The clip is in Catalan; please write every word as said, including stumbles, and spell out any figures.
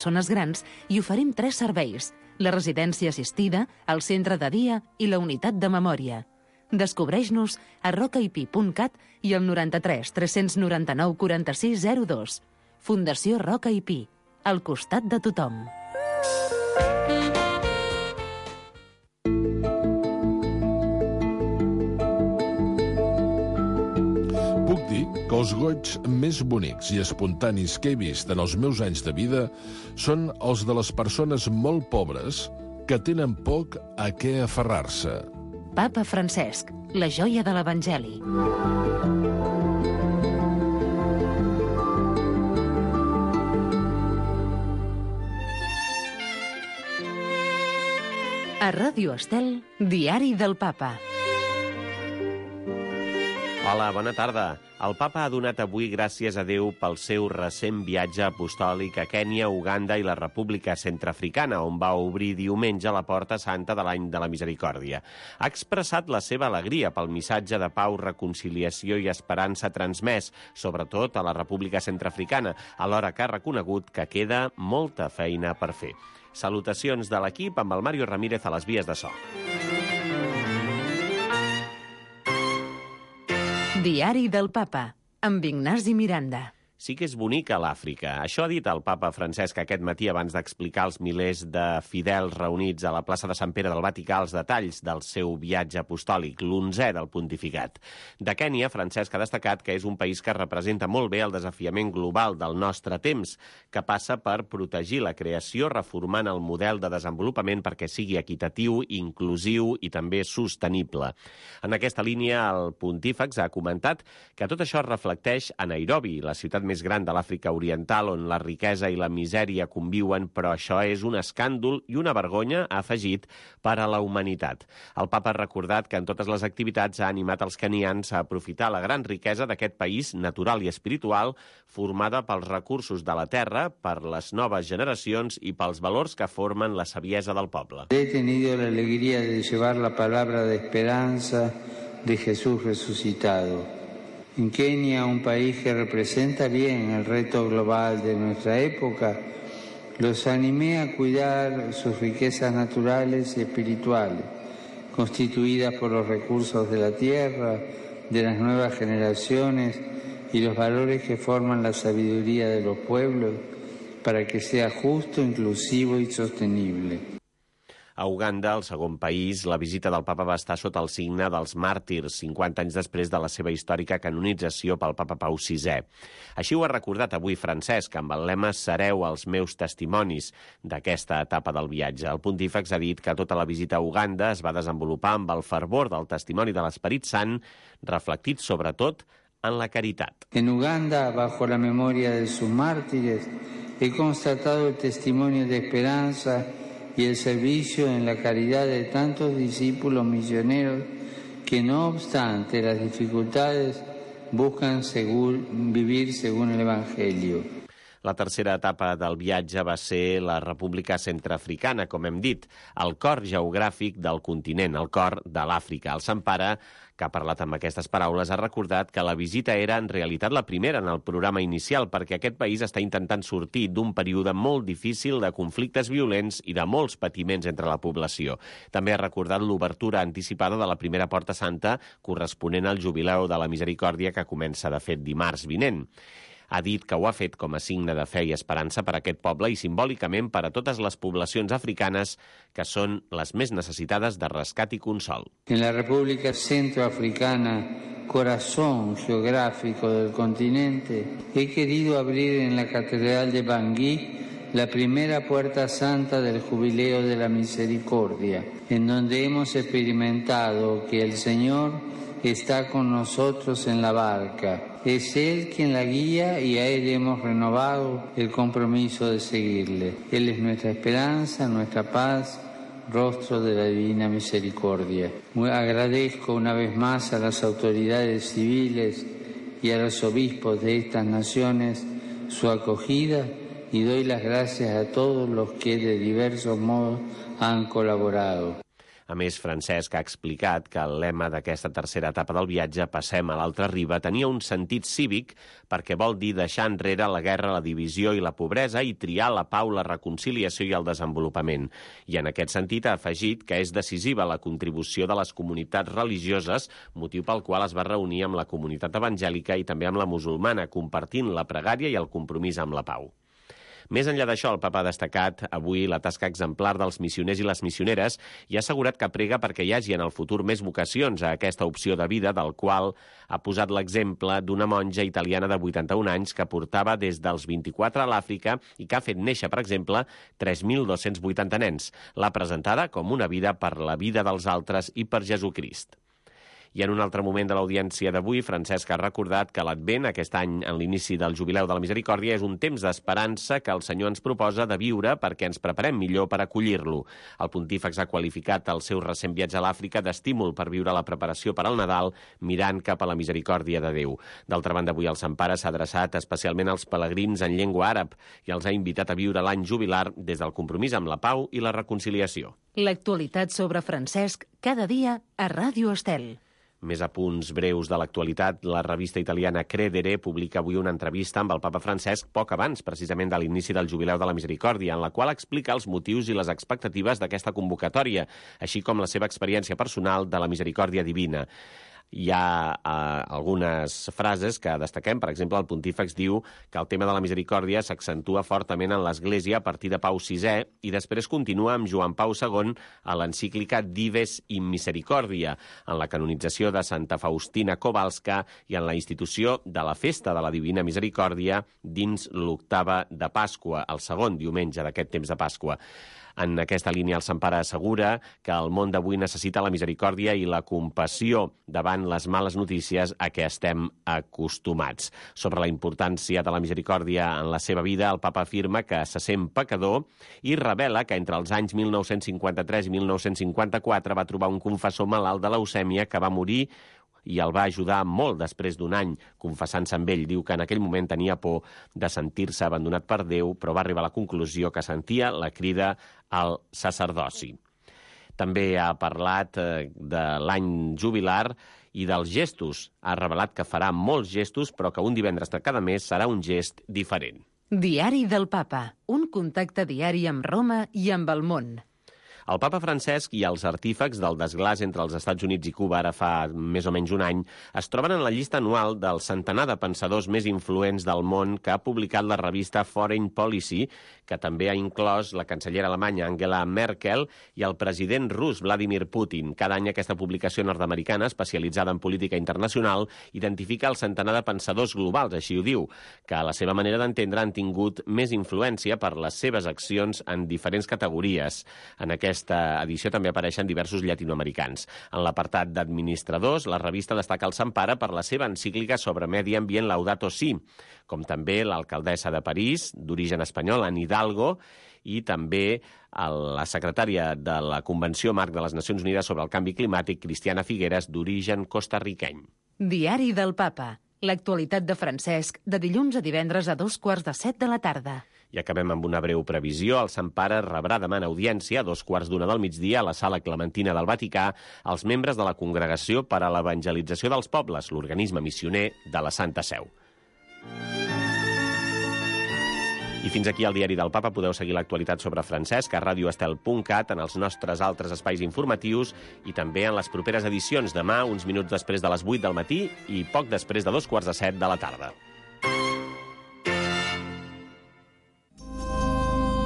persones grans i oferim tres serveis: la residència assistida, el centre de dia i la unitat de memòria. Descobreix-nos a rocaip punt cat i al noranta-tres tres noranta-nou quaranta-sis zero dos. Fundació Roca i Pi, al costat de tothom. Puc dir que els goigs més bonics i espontanis que he vist en els meus anys de vida són els de les persones molt pobres que tenen poc a què aferrar-se. Papa Francesc, la joia de l'Evangeli. A Ràdio Estel, Diari del Papa. Hola, bona tarda. El papa ha donat avui gràcies a Déu pel seu recent viatge apostòlic a Kènia, Uganda i la República Centreafricana, on va obrir diumenge la Porta Santa de l'Any de la Misericòrdia. Ha expressat la seva alegria pel missatge de pau, reconciliació i esperança transmès, sobretot a la República Centreafricana, alhora que ha reconegut que queda molta feina per fer. Salutacions de l'equip amb el Mario Ramírez a les vies de so. Diari del Papa, amb Ignasi Miranda. Sí que és bonica l'Àfrica. Això ha dit el papa Francesc aquest matí abans d'explicar als milers de fidels reunits a la plaça de Sant Pere del Vaticà els detalls del seu viatge apostòlic, l'onzè del pontificat. De Kènia, Francesc ha destacat que és un país que representa molt bé el desafiament global del nostre temps, que passa per protegir la creació reformant el model de desenvolupament perquè sigui equitatiu, inclusiu i també sostenible. En aquesta línia, el pontífex ha comentat que tot això es reflecteix a Nairobi, la ciutat més gran de l'Àfrica Oriental, on la riquesa i la misèria conviuen, però això és un escàndol i una vergonya, ha afegit, per a la humanitat. El papa ha recordat que en totes les activitats ha animat els kenians a aprofitar la gran riquesa d'aquest país natural i espiritual, formada pels recursos de la terra, per les noves generacions i pels valors que formen la saviesa del poble. He tenido la alegría de llevar la palabra de esperanza de Jesús resucitado. En Kenia, un país que representa bien el reto global de nuestra época, los animé a cuidar sus riquezas naturales y espirituales, constituidas por los recursos de la tierra, de las nuevas generaciones y los valores que forman la sabiduría de los pueblos, para que sea justo, inclusivo y sostenible. A Uganda, el segon país, la visita del papa va estar sota el signe dels màrtirs, cinquanta anys després de la seva històrica canonització pel papa Pau sisè. Així ho ha recordat avui Francesc, amb el lema «Sereu els meus testimonis» d'aquesta etapa del viatge. El pontífex ha dit que tota la visita a Uganda es va desenvolupar amb el fervor del testimoni de l'Esperit Sant, reflectit sobretot en la caritat. En Uganda, bajo la memoria de sus mártires, he constatado el testimonio de esperanza y el servicio en la caridad de tantos discípulos misioneros que, no obstante las dificultades, buscan según, vivir según el Evangelio. La tercera etapa del viatge va ser la República Centreafricana, com hem dit, el cor geogràfic del continent, el cor de l'Àfrica. El Sant Pare, que ha parlat amb aquestes paraules, ha recordat que la visita era en realitat la primera en el programa inicial, perquè aquest país està intentant sortir d'un període molt difícil de conflictes violents i de molts patiments entre la població. També ha recordat l'obertura anticipada de la primera Porta Santa, corresponent al Jubileu de la Misericòrdia, que comença, de fet, dimarts vinent. Ha dit que ho ha fet com a signe de fe i esperança per a aquest poble i simbòlicament per a totes les poblacions africanes que són les més necessitades de rescat i consol. En la República Centroafricana, corazón geográfico del continente, he querido abrir en la Catedral de Bangui la primera Puerta Santa del Jubileo de la Misericordia, en donde hemos experimentado que el Señor está con nosotros en la barca. Es Él quien la guía y a Él hemos renovado el compromiso de seguirle. Él es nuestra esperanza, nuestra paz, rostro de la Divina Misericordia. Muy agradezco una vez más a las autoridades civiles y a los obispos de estas naciones su acogida y doy las gracias a todos los que de diversos modos han colaborado. A més, Francesc ha explicat que el lema d'aquesta tercera etapa del viatge, Passem a l'altra riba, tenia un sentit cívic perquè vol dir deixar enrere la guerra, la divisió i la pobresa i triar la pau, la reconciliació i el desenvolupament. I en aquest sentit ha afegit que és decisiva la contribució de les comunitats religioses, motiu pel qual es va reunir amb la comunitat evangèlica i també amb la musulmana, compartint la pregària i el compromís amb la pau. Més enllà d'això, el papa ha destacat avui la tasca exemplar dels missioners i les missioneres i ha assegurat que prega perquè hi hagi en el futur més vocacions a aquesta opció de vida, del qual ha posat l'exemple d'una monja italiana de vuitanta-un anys que portava des dels vint-i-quatre a l'Àfrica i que ha fet néixer, per exemple, tres mil dos-cents vuitanta nens. L'ha presentada com una vida per la vida dels altres i per Jesucrist. I en un altre moment de l'audiència d'avui, Francesc ha recordat que l'Advent, aquest any en l'inici del Jubileu de la Misericòrdia, és un temps d'esperança que el Senyor ens proposa de viure perquè ens preparem millor per acollir-lo. El pontífex ha qualificat el seu recent viatge a l'Àfrica d'estímul per viure la preparació per al Nadal mirant cap a la misericòrdia de Déu. D'altra banda, avui el Sant Pare s'ha adreçat especialment als pelegrins en llengua àrab i els ha invitat a viure l'any jubilar des del compromís amb la pau i la reconciliació. L'actualitat sobre Francesc cada dia a Ràdio Estel. Més apunts breus de l'actualitat. La revista italiana Credere publica avui una entrevista amb el papa Francesc poc abans, precisament de l'inici del Jubileu de la Misericòrdia, en la qual explica els motius i les expectatives d'aquesta convocatòria, així com la seva experiència personal de la misericòrdia divina. Hi ha eh, algunes frases que destaquem. Per exemple, el pontífex diu que el tema de la misericòrdia s'accentua fortament en l'Església a partir de Pau sisè i després continua amb Joan Pau segon a l'encíclica Dives in Misericordia, en la canonització de Santa Faustina Kowalska i en la institució de la Festa de la Divina Misericòrdia dins l'octava de Pasqua, el segon diumenge d'aquest temps de Pasqua. En aquesta línia, el Sant Pare assegura que el món d'avui necessita la misericòrdia i la compassió davant les males notícies a què estem acostumats. Sobre la importància de la misericòrdia en la seva vida, el papa afirma que se sent pecador i revela que entre els anys mil nou-cents cinquanta-tres i mil nou-cents cinquanta-quatre va trobar un confessor malalt de leucèmia que va morir i el va ajudar molt després d'un any confessant-se amb ell. Diu que en aquell moment tenia por de sentir-se abandonat per Déu, però va arribar a la conclusió que sentia la crida al sacerdoci. També ha parlat eh, de l'any jubilar i dels gestos. Ha revelat que farà molts gestos, però que un divendres de cada mes serà un gest diferent. Diari del Papa, un contacte diari amb Roma i amb el món. El papa Francesc i els artífex del desglàs entre els Estats Units i Cuba, ara fa més o menys un any, es troben en la llista anual del centenar de pensadors més influents del món que ha publicat la revista Foreign Policy, que també ha inclòs la cancellera alemanya Angela Merkel i el president rus Vladimir Putin. Cada any aquesta publicació nord-americana, especialitzada en política internacional, identifica el centenar de pensadors globals, així ho diu, que a la seva manera d'entendre han tingut més influència per les seves accions en diferents categories. En aquest aquesta edició també apareixen diversos llatinoamericans. En l'apartat d'administradors, la revista destaca el Sant Pare per la seva encíclica sobre medi ambient Laudato Si, com també l'alcaldessa de París, d'origen espanyol, Anne Hidalgo, i també la secretària de la Convenció Marc de les Nacions Unides sobre el Canvi Climàtic, Cristiana Figueres, d'origen costarriqueny. Diari del Papa. L'actualitat de Francesc, de dilluns a divendres a dos quarts de set de la tarda. I acabem amb una breu previsió. El Sant Pare rebrà demà en audiència, a dos quarts d'una del migdia, a la Sala Clementina del Vaticà, els membres de la Congregació per a l'Evangelització dels Pobles, l'organisme missioner de la Santa Seu. I fins aquí el Diari del Papa. Podeu seguir l'actualitat sobre Francesc a radio estel punt cat, en els nostres altres espais informatius i també en les properes edicions demà, uns minuts després de les vuit del matí i poc després de dos quarts de set de la tarda.